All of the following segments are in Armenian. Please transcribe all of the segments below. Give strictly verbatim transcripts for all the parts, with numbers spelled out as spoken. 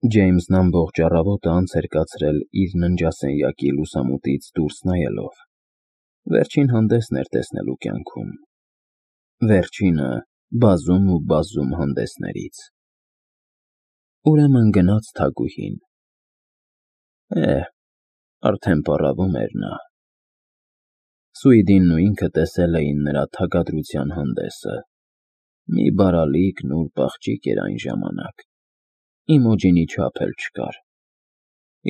Ջեյմսն ամբողջ առավոտը անց էր կացրել իր ննջասենյակի լուսամուտից դուրս նայելով. վերջին հանդեսն էր տեսնելու կյանքում, վերջինը բազում ու բազում հանդեսներից։ Ուրեմն գնաց Թագուհին։ Է, արդեն պառավում էր նա։ Սուիդինն ու ինքը տեսել էին նրա թագադրության հանդեսը, մի բարալիկ նուրբ աղջիկ էր այն ժամանակ, Իմոջինի չափ էլ չկար,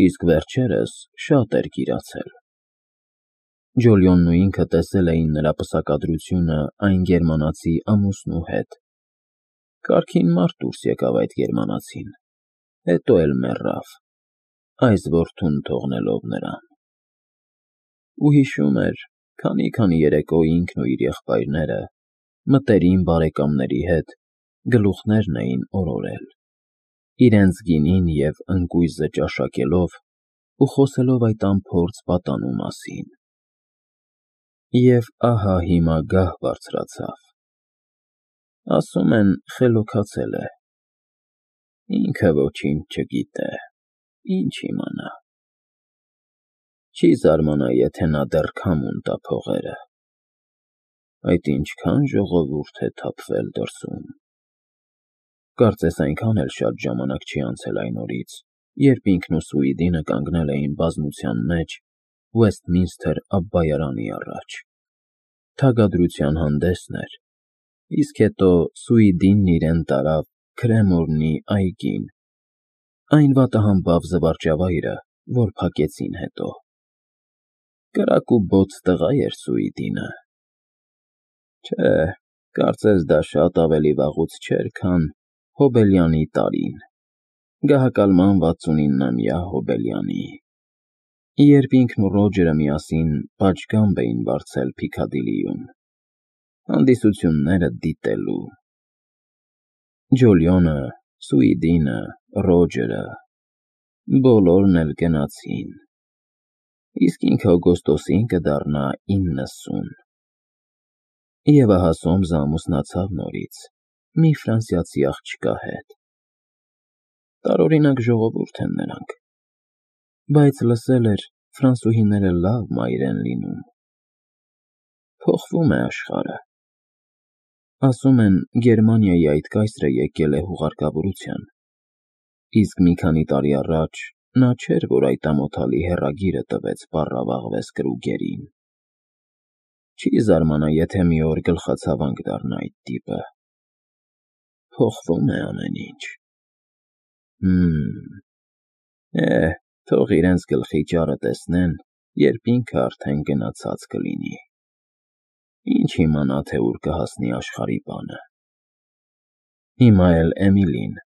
իսկ վերջերս շատ էր կիրացել։ Ջոլիոնն ու ինքը տեսել էին նրա պսակադրությունը այն գերմանացի ամուսնու հետ, կարգին մարդ դուրս եկավ այդ գերմանացին, հետո էլ մեռավ, այս որդուն թողնելով նրան։ Ու հիշում էր, քանի֊քանի երեկո ինքն ու իր եղբայրները, մտերիմ բարեկամների հետ գլուխներն էին օրորել, իրենց գինին և ընկույզը ճաշակելով ու խոսելով այդ անփորձ պատանու մասին։ Եվ ահա հիմա գահ բարձրացավ, ասում են խելոքացել է, ինքը ոչինչ չգիտե, ինչ իմանա։ Չի զարմանա, եթե նա դեռ քամուն տա փողերը, այդ ինչքան ժողովուրդ է թափվել դրսում։ Կարծես այնքան էլ շատ ժամանակ չի անցել այն օրից, երբ ինքն ու Սուիդինը կանգնել էին բազմության մեջ Ուեսթմինսթր Աբբայարանի առաջ։ Թագադրության հանդեսն էր, իսկ հետո Սուիդինն իրեն տարավ Քրեմորնի այգին, այն վատահամբավ զվարճավայրը, որ փակեցին հետո։ Կրակ ու բոծ տղա էր Սուիդինը։ Չէ, կարծես դա շատ ավելի վաղուց չէր, քան Հոբելյանի տարին, գահակալման վաթսունիննամյա Հոբելյանի, երբ ինքն ու Ռոջերը միասին պատշգամբ էին վարձել Փիքադիլիում, հանդիսությունները դիտելու։ Ջոլիոնը, Սուիդինը, Ռոջերը, բոլորն էլ գնացին, իսկ ինքը օգոստոսին կդառնա իննսուն։ Եվ ահա Սոմսը ամուսնացավ նորից, մի ֆրանսիացի աղջկա հետ։ Տարօրինակ ժողովուրդ են նրանք, բայց լսել էր, ֆրանսուհիները լավ մայր են լինում։ Փոխվում է աշխարհը։ Ասում են, Գերմանիայի այդ կայսրը եկել է հուղարկավորության, իսկ մի քանի տարի առաջ նա չէր, որ այդ ամոթալի հեռագիրը տվեց պառավաղ Վեսկրուգերին։ Չի զարմանա, եթե մի օր գլխացավանք դառնա այդ տիպը։ Փոխվում է ամեն ինչ։ Հըմ, է, թող իրենց գլխի ճարը տեսնեն, երբ ինքը արդեն գնացած կլինի։ Ինչ իմանա, թե ուր կհասնի աշխարհի բանը։ Հիմա էլ Էմիլին,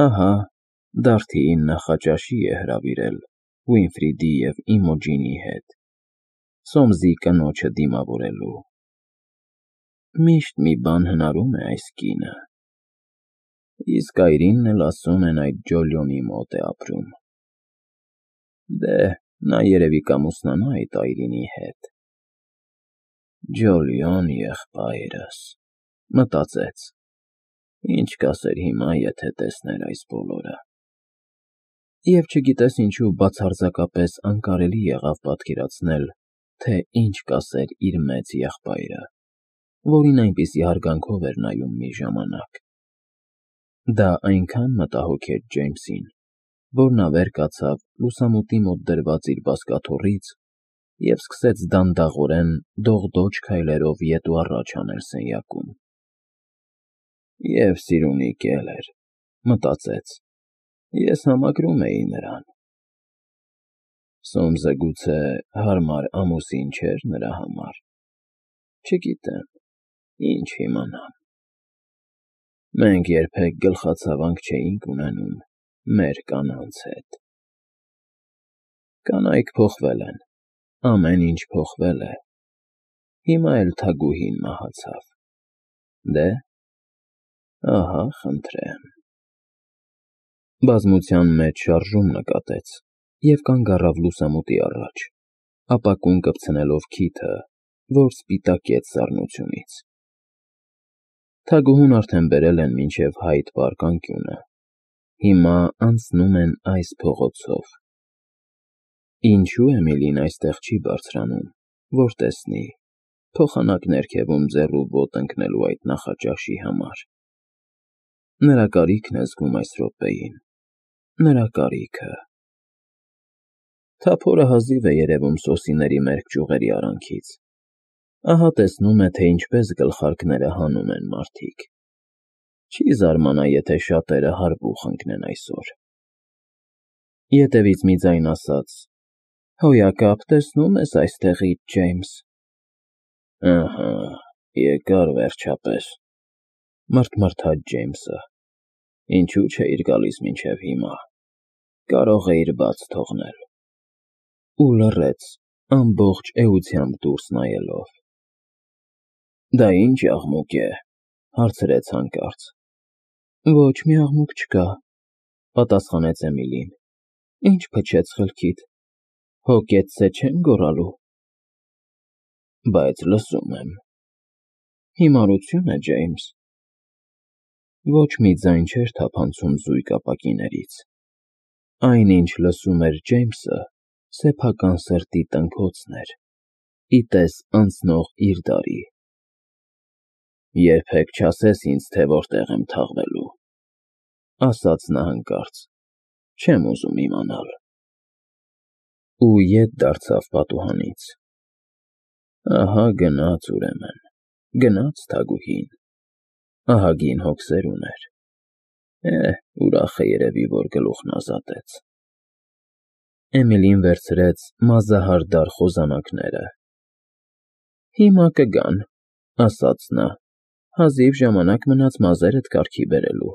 ահա, Դարդիին նախաճաշի է հրավիրել Ուինֆրիդի և Իմոջինի հետ, Սոմսի կնոջը դիմավորելու։ Միշտ մի բան հնարում է այս կինը։ Իսկ այրինն էլ ասում են այդ Ջոլիոնի մոտ է ապրում։ Դե, նա երևի կամուսնանա այդ այրինի հետ։ Ջոլիոն եղբայրս, մտածեց, ինչ կասեր հիմա, եթե տեսներ այս բոլորը։ Եվ չգիտես ինչու բացարձակապես անկարելի եղավ պատկերացնել, թե ինչ կասեր իր մեծ եղբայրը, որին այնպիսի հարգանքով էր նայում մի ժամանակ։ Դա այնքան մտահոգ էր Ջեյմսին, որ նա վեր կացավ լուսամուտի մոտ դրված իր բազկաթոռից և սկսեց դանդաղորեն դողդոջ քայլերով ետ ու առաջ անել սենյակում։ Եվ սիրունիկ էլ էր, մտածեց, ես համակրում էի նրան։ Սոմսը գուցե հարմար ամուսին չէր նրա համար, չգիտեմ, ինչ իմանամ։ Մենք երբեք գլխացավանք չէինք ունենում մեր կանանց հետ։ Կանայք փոխվել են, ամեն ինչ փոխվել է, հիմա էլ Թագուհին մահացավ։ Դե, ահա, խնդրեմ։ Բազմության մեջ շարժում նկատեց և կանգ առավ լուսամուտի առաջ, ապակուն կպցնելով քիթը, որ սպիտակեց սառնությունից։ Թագուհուն արդեն բերել են մինչև Հայդ պարկ անկյունը, հիմա անցնում են այս փողոցով։ Ինչու Էմիլին այստեղ չի բարձրանում, որ տեսնի, փոխանակ ներքևում ձեռու ոտ ընկնելու այդ նախաճաշի համար։ Նրա կարիքն է զգում այս րոպեին, նրա կարիքը։ Թափորը հազիվ է երևում սոսիների մերկ ճյուղերի արանքից։ Ահա տեսնում է, թե ինչպես գլխարկները հանում են մարդիկ։ Չի զարմանա, եթե շատերը հարբուխ ընկնեն այսօր։ Ետևից մի ձայն ասաց. «Հոյակապ, տեսնո՞ւմ ես այստեղից, Ջեյմս»։ Ահա, եկար վերջապես, մռթմռթաց Ջեյմսը։ Ինչու չէիր գալիս մինչև հիմա, կարող էիր բաց թողնել։ Ու լռեց, ամբողջ էությամբ դուրս նայելով։ Դա ի՞նչ աղմուկ է, հարցրեց հանկարծ։ Ոչ մի աղմուկ չկա, պատասխանեց Էմիլին։ Ինչ փչեց խելքիդ, հո կեցցե չեն գոռալու։ Բայց լսում եմ։ Հիմարություն է, Ջեյմս։ Ոչ մի ձայն չէր թափանցում զույգ ապակիներից։ Այն, ինչ լսում էր Ջեյմսը, սեփական սրտի տնքոցն էր, ի տես անցնող իր դարի։ Երբեք չասես ինձ, թե որտեղ եմ թաղվելու, ասաց նա հանկարծ, չեմ ուզում իմանալ։ Ու ետ դարձավ պատուհանից։ Ահա գնաց ուրեմն, գնաց թագուհին, ահագին հոգսեր ուներ։ Է, ուրախ է երևի, որ գլուխն ազատեց։ Էմիլին վերցրեց մազահարդար խոզանակները։ Հիմա կգան, ասաց նա, հազիվ ժամանակ մնաց մազերդ կարգի բերելու։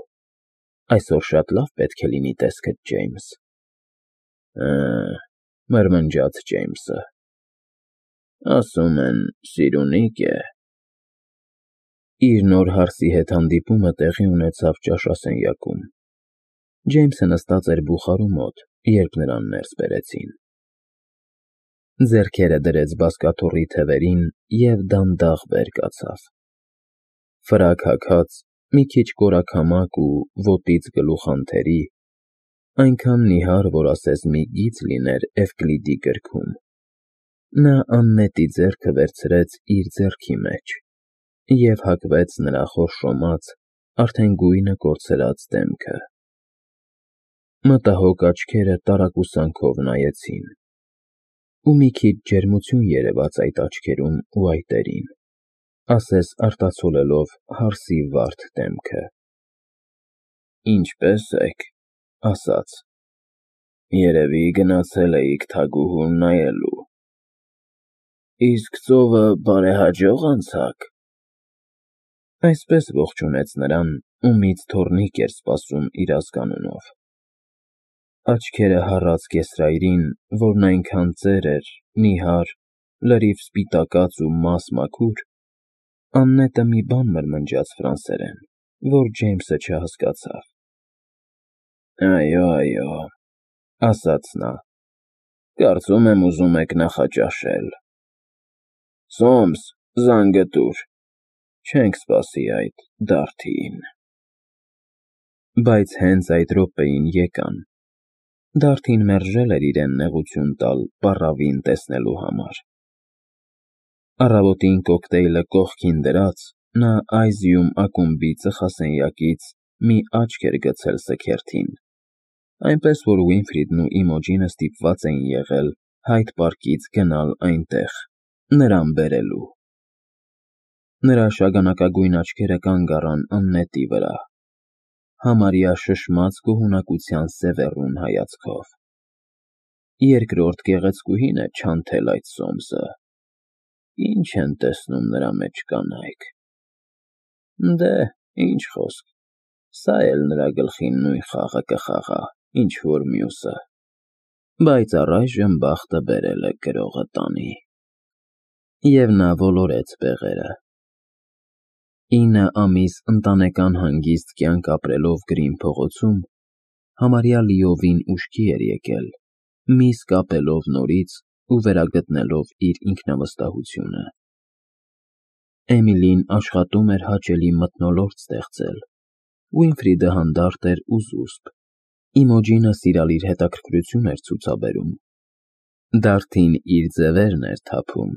Այսօր շատ լավ պետք է լինի տեսքդ, Ջեյմս։ Հը, մրմնջաց Ջեյմսը։ Ասում են, սիրունի՞կ է։ Իր նոր հարսի հետ հանդիպումը տեղի ունեցավ ճաշասենյակում։ Ջեյմսը նստած էր բուխարու մոտ, երբ նրան ներս բերեցին։ Ձեռքերը դրեց բազկաթոռի թևերին և դանդաղ վեր կացավ։ Ֆրակ հագած, մի քիչ կորաքամակ ու ոտից գլուխ անթերի, այնքան նիհար, որ ասես մի գիծ լիներ Էվկլիդի գրքում։ Նա աննետի ձեռքը վերցրեց իր ձեռքի մեջ և հագվեց նրա խորշոմած, արդեն գույնը կորցրած դեմքը։ Մտահոգ աչքերը տարակուսանքով նայեցին, ու մի քիչ ջերմություն երևաց այդ աչքերում ու այտերին, ասես արտացոլելով հարսի վարդ դեմքը։ Ինչպե՞ս եք, ասաց։ Երևի գնացել էիք թագուհուն նայելու։ Իսկ ծովը բարեհաջող անցա՞ք։ Այսպես ողջունեց նրան, ումից թոռնիկ էր սպասում իր ազգանունով։ Աչքերը հառած կեսրայրին, որն այնքան ծեր էր, նիհար, լրիվ սպիտակած ու մաս֊մաքուր, աննետը մի բան մրմնջաց ֆրանսերեն, որ Ջեյմսը չհասկացավ։ Այո, այո, ասաց նա, կարծում եմ ուզում եք նախաճաշել։ Սոմս, զանգը տուր, չենք սպասի այդ դարդիին։ Բայց հենց այդ րոպեին եկան։ Դարդին մերժել էր իրեն նեղություն տալ պառավին տեսնելու համար։ Առավոտին կոկտեյլը կողքին դրած, նա Այզիում ակումբի ծխասենյակից մի աչք էր գցել սքերթին, այնպես որ Ուինֆրիդն ու Իմոջինը ստիպված էին եղել Հայդ պարկից գնալ այնտեղ, նրան բերելու։ Նրա շագանակագույն աչքերը կանգ առան աննետի վրա, համարյա շշմած գոհունակության սևեռուն հայացքով։ Երկրորդ գեղեցկուհին է չանթել այդ սոմսը։ Ինչ են տեսնում նրա մեջ կանայք։ Դե, ինչ խոսք, սա էլ նրա գլխին նույն խաղը կխաղա, ինչ որ մյուսը։ Բայց առայժմ բախտը բերել է գրողը տանի։ Եվ նա ոլորեց բեղերը։ Ինը ամիս ընտանեկան հանգիստ կյանք ապրելով Գրին փողոցում, համարյա լիովին ուշքի էր եկել, միս կապելով նորից ու վերագտնելով իր ինքնավստահությունը։ Էմիլին աշխատում էր հաճելի մթնոլորտ ստեղծել, Ուինֆրիդը հանդարտ էր ու զուսպ, Իմոջինը սիրալիր հետաքրքրություն էր ցուցաբերում։ Դարդին իր ձևերն էր թափում։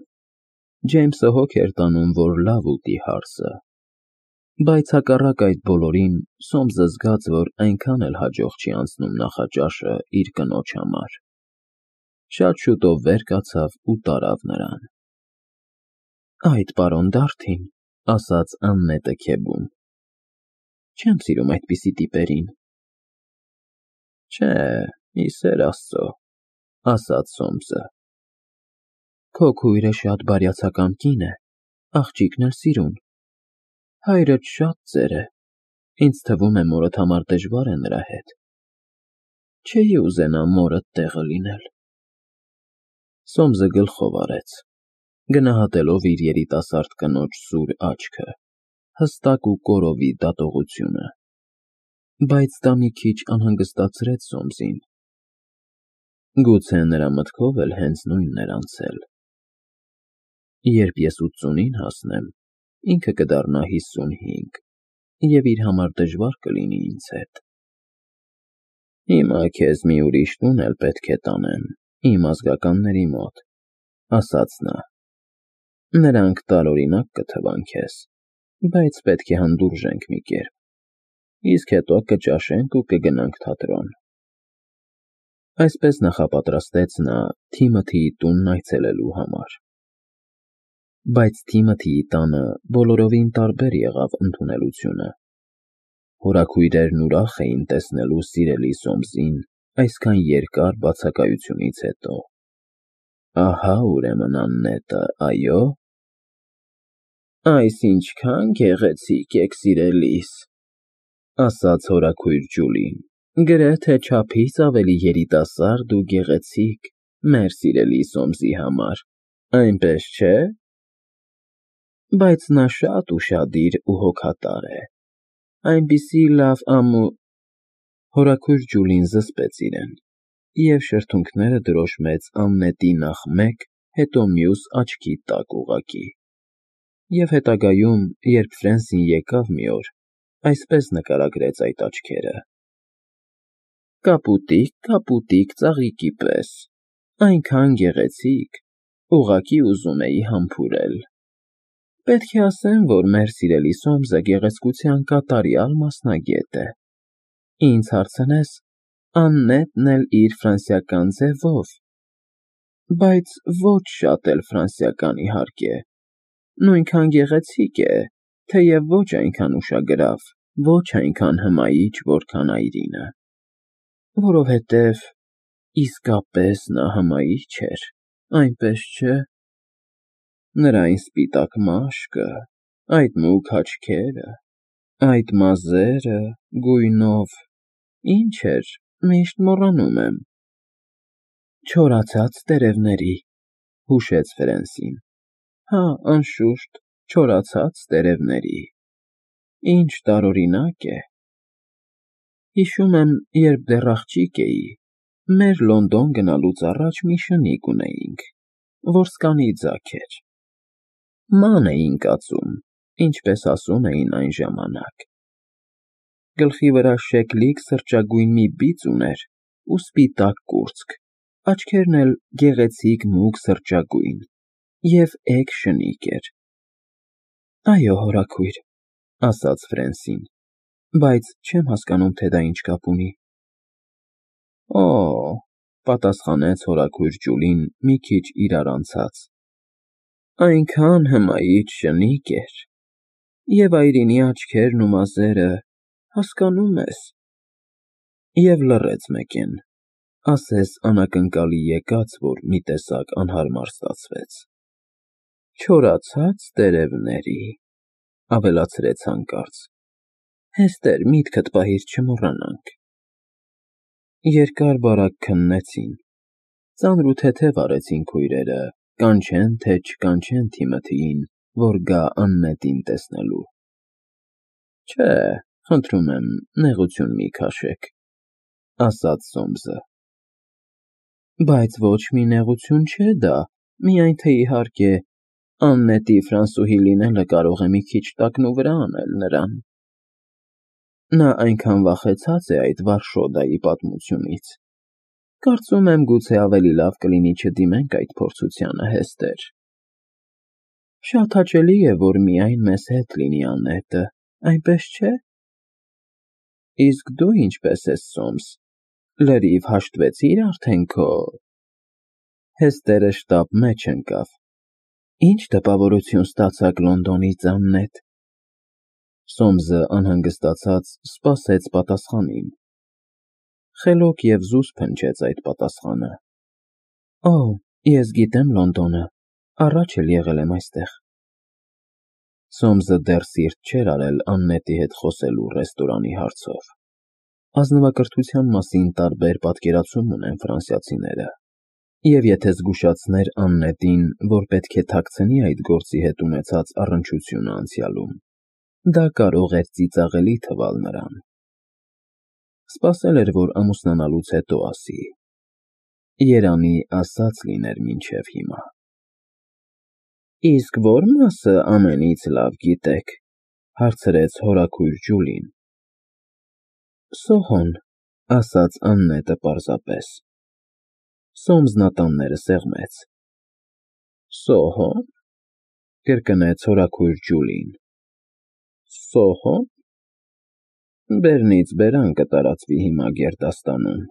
Ջեյմսը հոգ էր տանում, որ լավ ուտի հարսը։ Բայց հակառակ այդ բոլորին, Սոմսը զգաց, որ այնքան էլ հաջող չի անցնում նախաճաշը իր կնոջ համար։ Շատ շուտով վեր կացավ ու տարավ նրան։ Այդ պարոն Դարդին, ասաց Աննետը քեբուն, չեմ սիրում այդպիսի տիպերին։ Չէ, ի սեր Աստծո, ասաց Սոմսը։ Քո քույրը շատ բարյացակամ կին է, աղջիկն էլ սիրուն։ Հայրդ շատ ծեր է, ինձ թվում է մորդ համար դժվար է նրա հետ։ Չէի ուզենա մորդ տեղը լինել։ Սոմսը գլխով արեց, գնահատելով իր երիտասարդ կնոջ սուր աչքը, հստակ ու կորովի դատողությունը։ Բայց դա մի քիչ անհանգստացրեց Սոմսին։ Գուցե նրա մտքով էլ հենց նույնն էր անցել։ Երբ ես ութսունին հասնեմ, ինքը կդառնա հիսունհինգ, և իր համար դժվար կլինի ինձ հետ։ Հիմա քեզ մի ուրիշ տուն էլ պետք է տանեմ, իմ ազգականների մոտ, ասաց նա։ Նրանք տարօրինակ կթվան քեզ, բայց պետք է հանդուրժենք մի կերպ, իսկ հետո կճաշենք ու կգնանք թատրոն։ Այսպես նախապատրաստեց նա Թիմոթիի տունն այցելելու համար։ Բայց Թիմոթիի տանը բոլորովին տարբեր եղավ ընդունելությունը։ Հորաքույրերն ուրախ էին տեսնելու սիրելի Սոմսին այսքան երկար բացակայությունից հետո։ Ահա ուրեմն Աննետը, այո։ Այս ինչքան գեղեցիկ եք, սիրելիս, ասաց հորաքույր Ջուլին, գրեթե չափից ավելի երիտասարդ ու գեղեցիկ մեր սիրելի Սոմսի համար, այնպես չէ։ Բայց նա շատ ուշադիր ու հոգատար է, այնպիսի լավ ամու… Հորաքույր Ջուլին զսպեց իրեն և շրթունքները դրոշմեց Աննետի նախ մեկ, հետո մյուս աչքի տակ ուղղակի։ Եվ հետագայում, երբ Ֆրենսին եկավ մի օր, այսպես նկարագրեց այդ աչքերը. Կապուտիկ, կապուտիկ ծաղիկի պես, այնքան գեղեցիկ, ուղղակի ուզում էի համբուրել։ Պետք է ասեմ, որ մեր սիրելի Սոմսը գեղեցկության կատարյալ մասնագետ է։ Ինձ հարցնես, Աննետն էլ իր ֆրանսիական ձևով, բայց ոչ շատ էլ ֆրանսիական, իհարկե, նույնքան գեղեցիկ է, թեև ոչ այնքան ուշագրավ, ոչ այնքան հմայիչ, որքան այրինը, որովհետև իսկապես նա հմայիչ էր, այնպես չէ։ Նրա այն սպիտակ մաշկը, այդ մուգ աչքերը, այդ մազերը, գույնով, ինչ էր, միշտ մոռանում եմ։ Չորացած տերևների, հուշեց Ֆրենսին։ Հա, անշուշտ, չորացած տերևների։ Ինչ տարօրինակ է։ Հիշում եմ, երբ դեռ աղջիկ էի, մեր Լոնդոն գնալուց առաջ մի շնիկ ունեինք, որ սկանի ձագ էր։ Ման էին կացում, ինչպես ասում էին այն ժամանակ։ Գլխի վրա շեկլիկ սրճագույն մի բիծ ուներ ու սպիտակ կուրծք, աչքերն էլ գեղեցիկ մուգ սրճագույն և էգ շնիկ էր։ Այո, հորաքույր, ասաց Ֆրենսին, բայց չեմ հասկանում, թե դա ինչ կապ ունի։ Օ, պատասխանեց հորաքույր Ջուլին մի քիչ իրար անցած, այնքան հմայիչ շնիկ էր, և այրինի աչքերն ու մազերը, հասկանո՞ւմ ես։ Եվ լռեց մեկեն, ասես անակնկալի եկած, որ մի տեսակ անհարմար ստացվեց։ Չորացած տերևների, ավելացրեց հանկարծ, հեստեր, միտքդ պահիր չմոռանանք։ Երկար֊բարակ քննեցին, ծանր ու թեթև արեցին քույրերը, կանչեն թե չկանչեն Թիմոթիին, որ գա Աննետին տեսնելու։ Չէ, խնդրում եմ, նեղություն մի քաշեք, ասաց Սոմսը։ Բայց ոչ մի նեղություն չէ դա, միայն թե իհարկե Աննետի ֆրանսուհի լինելը կարող է մի քիչ տակնուվրա անել նրան։ Նա այնքան վախեցած է այդ Վարշոդայի պատմությունից։ Կարծում եմ, գուցե ավելի լավ կլինի չդիմենք այդ փորձությանը, Հեստեր։ Շատ հաճելի է, որ միայն մեզ հետ լինի Աննետը, այնպես չէ՞։ Իսկ դու ինչպես ես, Սոմս, լրիվ հաշտվեցի՞ր արդեն քո… Հեստերը շտապ մեջ ընկավ։ Ինչ տպավորություն ստացաք Լոնդոնից, Աննետ։ Սոմսը անհանգստացած սպասեց պատասխանին։ Խելոք և զուսպ հնչեց այդ պատասխանը։ Օ, ես գիտեմ Լոնդոնը, առաջ էլ եղել եմ այստեղ։ Սոմսը դեռ սիրտ չէր արել Աննետի հետ խոսելու ռեստորանի հարցով։ Ազնվակրթության մասին տարբեր պատկերացում ունեն ֆրանսիացիները, և եթե զգուշացներ Աննետին, որ պետք է թաքցնի այդ գործի հետ ունեցած առնչությունը անցյալում, դա կարող էր ծիծաղելի թվալ նրան։ Սպասել էր, որ ամուսնանալուց հետո ասի. երանի ասած լիներ մինչև հիմա։ Իսկ ո՞ր մասը ամենից լավ գիտեք, հարցրեց հորաքույր Ջուլին։ Սոհոն, ասաց Աննետը պարզապես։ Սոմսն ատամները սեղմեց։ Սոհո՞ն, կրկնեց հորաքույր Ջուլին։ Սոհո՞ն։ Բերնից բերան կտարածվի հիմա գերդաստանում,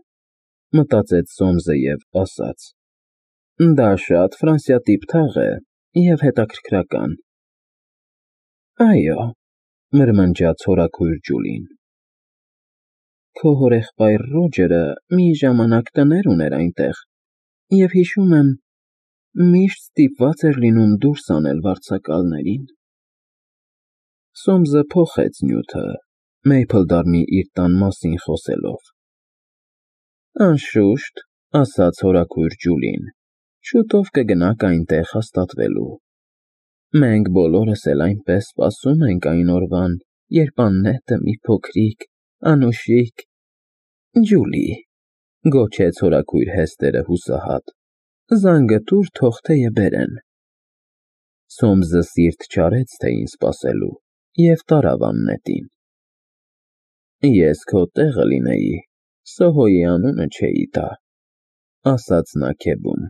մտածեց Սոմսը և ասաց. Դա շատ ֆրանսիատիպ թաղ է և հետաքրքրական։ Այո, մրմնջաց հորաքույր Ջուլին։ Քո հորեղբայր Ռոջերը մի ժամանակ տներ ուներ այնտեղ, և հիշում եմ, միշտ ստիպված էր լինում դուրս անել վարձակալներին։ Սոմսը փոխեց նյութը, Մեյփլդարնի իր տան մասին խոսելով։ Անշուշտ, ասաց հորաքույր Ջուլին, շուտով կգնաք այնտեղ հաստատվելու։ Մենք բոլորս էլ այնպես սպասում ենք այն օրվան, երբ Աննետը մի փոքրիկ, անուշիկ… Ջուլի, գոչեց հորաքույր Հեստերը հուսահատ, զանգը տուր, թող թեյը բերեն։ Սոմսը սիրտ չարեց թեյին սպասելու և տարավ Աննետին։ Ես քո տեղը լինեի, Սոհոյի անունը չէի տա, ասաց նա քեբում։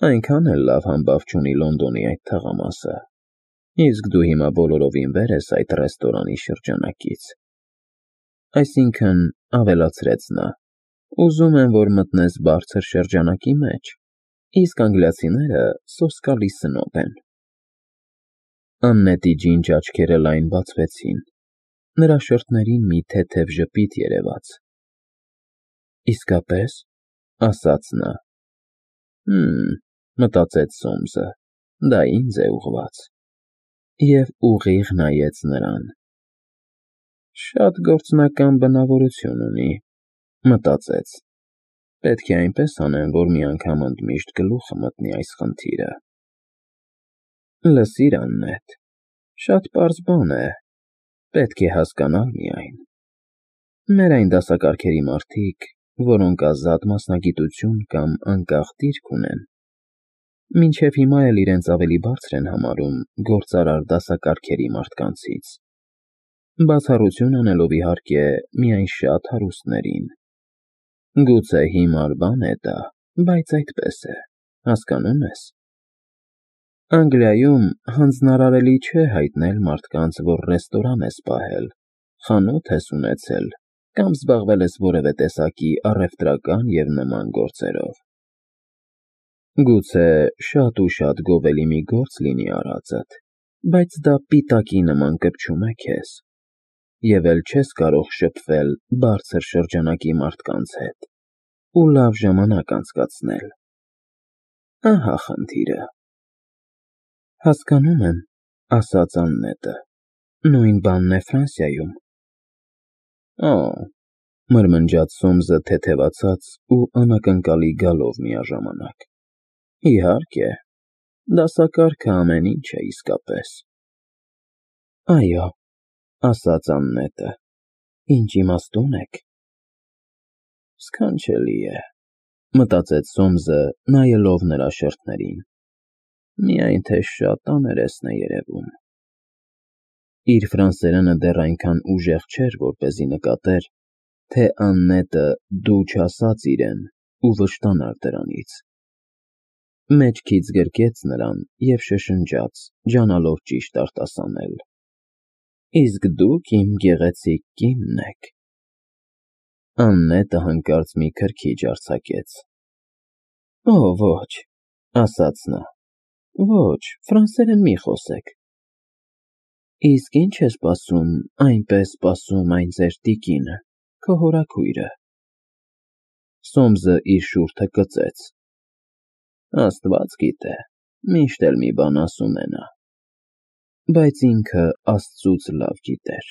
Այնքան էլ լավ համբավ չունի Լոնդոնի այդ թաղամասը, իսկ դու հիմա բոլորովին վեր ես այդ ռեստորանի շրջանակից։ Այսինքն, ավելացրեց նա, ուզում եմ, որ մտնես բարձր շրջանակի մեջ, իսկ անգլիացիները սոսկալի սնոբ են։ Աննետի ջինջ աչքերը լայն բացվեցին, նրա շրթերին մի թեթև ժպիտ երևաց։ Իսկապես, ասաց նա։ Հըմ, մտածեց Սոմսը, դա ինձ է ուղղված։ Եվ ուղիղ նայեց նրան։ Շատ գործնական բնավորություն ունի, մտածեց։ Պետք է այնպես անեմ, որ մի անգամ ընդմիշտ գլուխը մտնի այս խնդիրը։ Լսիր, Աննետ, շատ պարզ բան է, պետք է հասկանալ միայն։ Մեր այն դասակարգերի մարդիկ, որոնք ազատ մասնագիտություն կամ անկախ դիրք ունեն, մինչև հիմա էլ իրենց ավելի բարձր են համարում գործարար դասակարգերի մարդկանցից, բացառություն անելով, իհարկե, միայն շատ հարուստներին։ Գուցե հիմար բան է դա, բայց այդպես է, հասկանո՞ւմ ես։ Անգլիայում հանձնարարելի չէ հայտնել մարդկանց, որ ռեստորան ես պահել, խանութ ես ունեցել կամ զբաղվել ես որևէ տեսակի առևտրական և նման գործերով։ Գուցե շատ ու շատ գովելի մի գործ լինի արածդ, բայց դա պիտակի նման կպչում է քեզ, և էլ չես կարող շփվել բարձր շրջանակի մարդկանց հետ ու լավ ժամանակ անցկացնել։ Ահա խնդիրը։ Հասկանում եմ, ասաց Աննետը, նույն բանն է Ֆրանսիայում։ Օ, մրմնջաց Սոմսը թեթևացած ու անակնկալի գալով միաժամանակ։ Իհարկե, դասակարգը ամեն ինչ է իսկապես։ Այո, ասաց Աննետը, ինչ իմաստուն եք։ Սքանչելի է, մտածեց Սոմսը, նայելով նրա շրթերին։ Միայն թե շատ աներեսն է երևում։ Իր ֆրանսերենը դեռ այնքան ուժեղ չէր, որպեսզի նկատեր, թե Աննետը «դու» չասաց իրեն ու վշտանար դրանից։ Մեջքից գրկեց նրան և շշնջաց, ջանալով ճիշտ արտասանել. Իսկ դուք իմ գեղեցիկ կինն եք։ Աննետը հանկարծ մի քրքիջ արձակեց։ Օ, ոչ, ասաց նա, ոչ, ֆրանսերեն մի խոսեք։ Իսկ ի՞նչ է սպասում, այնպես սպասում այն ձեր տիկինը, քո հորաքույրը։ Սոմսը իր շուրթը կծեց։ Աստված գիտե, միշտ էլ մի բան ասում է նա, բայց ինքը աստծուց լավ գիտեր։